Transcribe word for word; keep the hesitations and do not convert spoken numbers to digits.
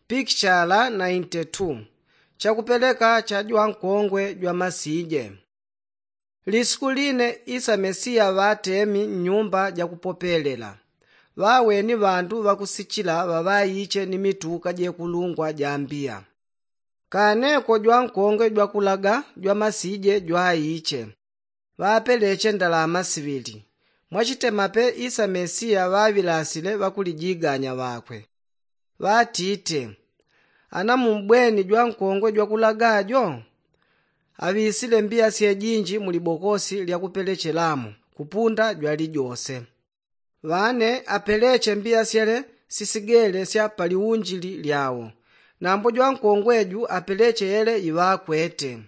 Pikichala nainte tu. Chakupeleka cha jwankongwe jwamasije. Lisuku line isa mesiya ŵatemi nnyumba jakupopelela, ŵaweni ŵandu ŵakusichila ŵaŵaiche ni mituka jekulungwa jambiya. Kaneko jwankongwe jwakulaga jwamasije jwaiche, ŵapeleche ndalama siŵili. Mwachitemape isa mesiya ŵaŵilasile ŵakulijiganya ŵakwe, ŵatite, ana mumbweni jwankongwe jwakulaga jo? Aŵisile mbiya syejinji mulibokosi lyakupelechelamo kupunda jwalijose. Ŵane apeleche mbiya syele sisigele sya paliunjili lyawo, nambo jwankongwe ju apeleche yele iŵakwete.